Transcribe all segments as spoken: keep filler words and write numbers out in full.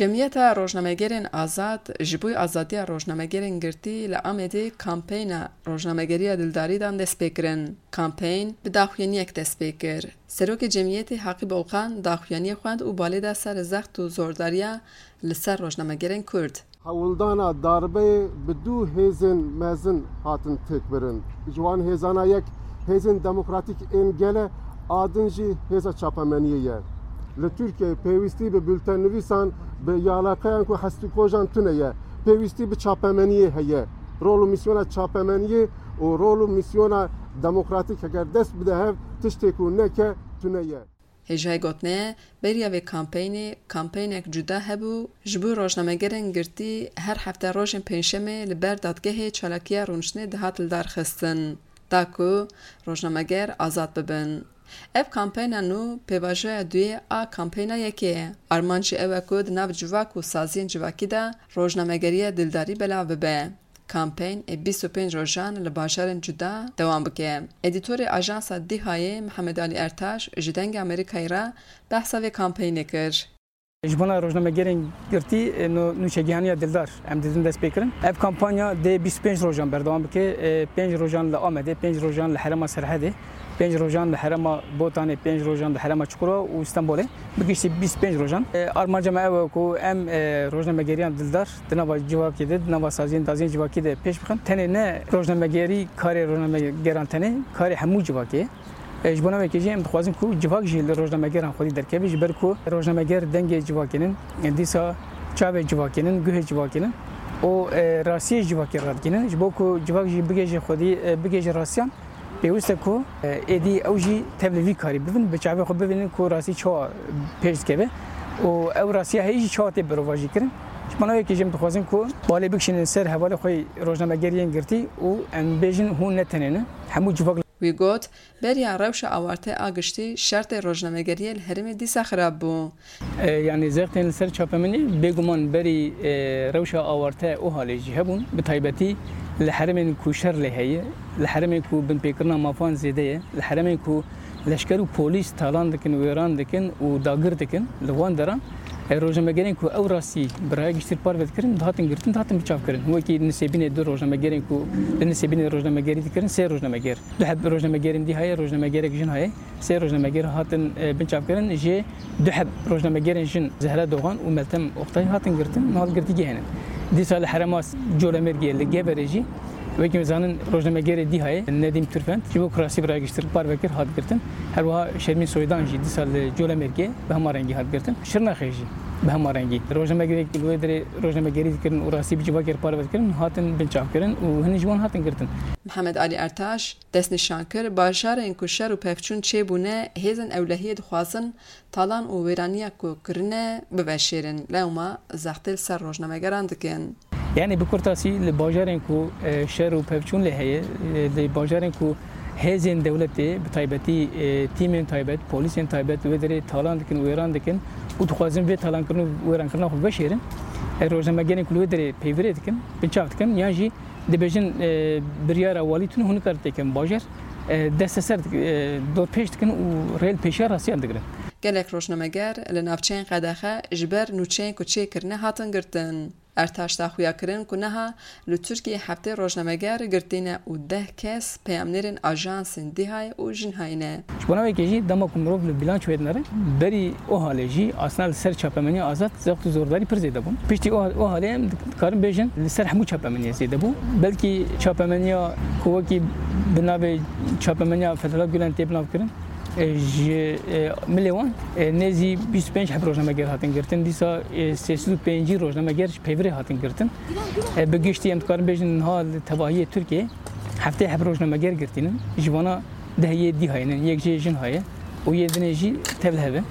Cemiyeta Rojnamegerên Azad ji bo azadiya rojnamegerên girtî li Amedê kampeyna rojnamegeriya dildarî dan destpêkirin. Kampeyn bi daxuyaniyek dest pê kir. Serokê Cemiyetê Haqî Bolkan daxuyaniyê xwend û balê da ser zext û zordariya li ser rojnamegerên Kurd. Hewldana darbeyê bi du hêzên mezin hatin têkbirin. Ji wan hêzana yek hêzên demokratîk ên gel e, a din jî hêza çapemeniyê ye. Li Tirkiyeyê pêwîstî bi bultennivîsan, bi yalaqeyan ku hestûkojan tune ye. Pêwîstî bi çapemeniyê heye. Rol û mîsyona çapemeniyê û rol û mîsyona demokratîk heger dest bide hev, tiştê ku neke tune ye. Hêjayê gotinê, beriya vê kampeynê, kampeynek cuda hebû, ji bo rojnamegerên girtî her hefte rojên pêncşemê li ber dadgehê çalakiya rûniştinê dihat lidarxistin, da ku rojnameger azad bibin. Ev kampeyna nû pêvajoya duyê a kampeyna yekê ye. Armanc jî ew e ku di nav civak û saziyên civakî de rojnamegeriya dildarî belav bibe. Kampeyn ê bîst û pênc rojan li bajarên cuda dewam bike. Edîtorê Ajansa Dîhayê Mihemed Alî Ertaş ji Dengê Amerîkayê re behsa vê kampeynê kir. Ji bona rojnamegerên girtî, e, no-, nûçegihaniya dildar em didin dest pê kirin. Ev kampanya dê bîst û pênc rojan berdewam bike. E, pênc rojan li Amedê, pênc rojan li herêma Serhedê, pênc rojan li herêma Botanê, pênc rojan li herêma Çukurova û Stenbolê. Bi giştî bîst û pênc rojan. E, armanca me ew e ku em, e, rojnamegeriyan dildar di nava civakê de, di nava saziyên daziyên civakî de pêş bixin. Tenê ne rojnamegerî karê rojnamegeran tenê, karê hemû civakê ye. E, ji bona wekê jî em dixwazin ku civak jî li rojnamegeran xwedî derkeve, ji ber ku rojnameger dengê civakê nin, e, dîsa çavê civakê nin, guhê civakê nin û, e, rastiyê civakê radikînin. Ji bo ku civak jî bigihêje xwedî, e, bigihêje rastiyan, pêwîst e ku, e, êdî ew jî tevlî vî karî bibin, bi çavê xwe bibînin ku rastî çawa pêş dikeve û ew rastiya heyî jî çawa tê berovajî kirin. Ji bona wekê jî em dixwazin ku balê bikişînin ser hevalê xwe yê rojnamegeriyên girtî û em bêjin hûn ne tenê ne. Hemû civak. Wî got, beriya rewşa awarte a giştî şertê rojnamegeriyê li herêmê dîsa xirab bû. E, yanî zextên li ser çapemenî bêguman berî, e, rewşa awarte û halê jî hebûn. Bi taybetî li herêmên ku şer lê heye, li herêmên ku binpêkirina mafan zêde ye, li herêmên ku leşker û polîs talan dikin, wêran dikin û dagir dikin, li wan deran, e, rojnamegerên ku ew rastî bi raya giştî parve dikirin, dihatin girtin, dihatin biçavkirin. Wekî Nisêbînê du rojnamegerên ku li Nisêbînê rojnamegerî dikirin, sê rojnameger. Du heb rojnamegerên dî heye, rojnamegerek jin heye. Sê rojnameger hatin, e, binçavkirin. Jê du heb rojnamegerên jin Zehra Doğan û Meltem Oktay hatin girtin, niha li girtîgehê ne. Dîsa li herêma Colemêrgê li Geverê jî wekî em zanin rojnamegerê dî heye, Nedîm Türfend, ji bo ku rastî bi raya giştî parve kir, hat girtin. Her wiha Şermîn Soydan jî dîsa li Colemêrgê bi hema rengî hat girtin. Şirnexê jî bi hema rengî. Rojnamegerek li wê derê rojnamegerî dikirin û rastî bi civakê re parve dikirin, hatin binçavkirin û hin ji wan hatin girtin. Mihemed Alî Ertaş, destnîşan kir, bajarên ku şer û pevçûn çêbûne, hêzên ewlehiyê dixwazin talan û wêraniya ku kirine biveşêrin. Lewma zextê li ser rojnamegeran dikin. Yanî bi kurtasî li bajarên ku, e, şer û pevçûn lê heye, e, li bajarên ku hêzên dewletê, bi taybetî, e, tîmên taybet, polîsên taybet wê derê talan dikin, wêran dikin û dixwazin vê talankirin û wêrankirina xwe veşêrin, e, rojnamegerên ku li wê derê peyvîrê dikin, binçav dikin, yan jî dibêjin, e, biryara walî tune hûn nikarin têkin bajar, e, desteser dik-, e, dorpêç dikin û rê li pêşiya rastiyan digirin. Gelek rojnameger li navçeyên qedexe ji ber nûçeyên ku çêkirine hatin girtin. Ertaş da xuya kirin ku niha li Tirkiyeyê heftê rojnameger girtî ne û deh kes peyamnêrên ajansên Dîhayê û Jinhayê ne. Ji bona wekê jî dema ku mirov li bîlançoyê dinere, berî OHAL'ê jî aslında li ser çapemeniya azad zext û zordarî pir zêde bûn. Piştî OHA-, OHAL'ê em dikarin bêjin li ser hemû çapemeniyê zêde bû. Belkî çapemeniya ku wekî bi navê çapemeniya Fethullah Gulen tê binavkirin, e, ji, e, milê wan, e, nêzî bîst û pênc heb rojnameger hatin girtin. Dîsa, e, sê sed û pêncî rojnameger ji peyvê re hatin girtin. E, bi giştî em dikarin bêjin niha li tevahiyê Tirkiyê heftê heb rojnameger girtînin. Ji vana deh yê Dîhayê ne, yek jê Jinhayê û yê dinê jî tevlihev e.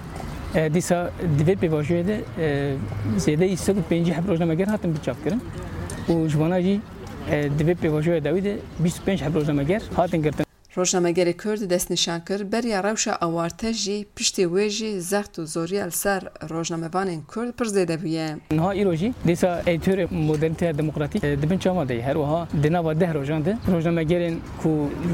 E, dîsa di vê pêvajoyê de, e, zêdeyî sed û pêncî heb rojnameger hatin binçavkirin û ji vana jî, e, di vê pêvajoya dawî de bîst û pênc heb rojnameger hatin girtin. Rojnamegerê Kurd destnîşan kir, beriya rewşa awarte jî piştî wê jî zext û zoriya li ser rojnamevanên Kurd pir zêde bûye. Niha îro jî dîsa edîtorê modernîteya demokratîk, e, di bin çavan de ye. Her wiha di nava deh rojan de rojnamegerên ku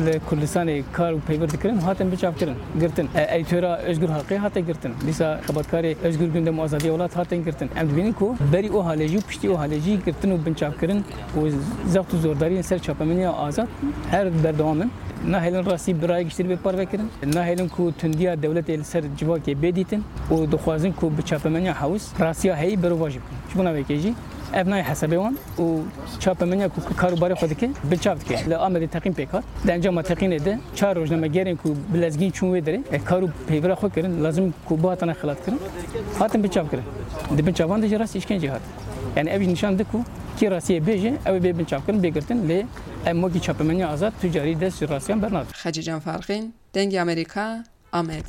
li Kurdistanê kar û peywir dikirin hatin biçavkirin, girtin. E, edîtora Özgür Halkê hate girtin. Dîsa xebatkarê Özgür Gündem û Azadiya Welat hatin girtin. Em dibînin ku berî û halê jî û piştî û halê jî girtin û binçavkirin û zext û zordariyên ser çapemeniya azad her berdewam in. Nahêlin rastî bi raya giştî bê parve kirin. Nahêlin ku tundiya dewletê li ser civakê bê dîtin û dixwazin ku bi çapemeniya hewis rastiya heyî berovajî bikin. Ji bona vê yekê jî ev nayê hesabê wan û çapemeniya ku kar û barê xwe dike, binçav dike. Li Amedê teqîn pêk hat. Di encama teqînê de çar rojnamegerên ku bi lezgîn çûn wê derê, e, kar û peyvira xwe kirin, lazim ku bihatine xelatkirin, hatin binçavkirin. Di binçavan de jî rastî îşkenceyê hat. Yani ev jî nîşan dide ku kî rastiyê bêje, ew ê bê binçavkirin, bê girtin, lê em wekî çapemeniya azad tu carî dest ji rastiyan bernadin. Xecîcan Farqîn, Dengê Amerîka, Amed.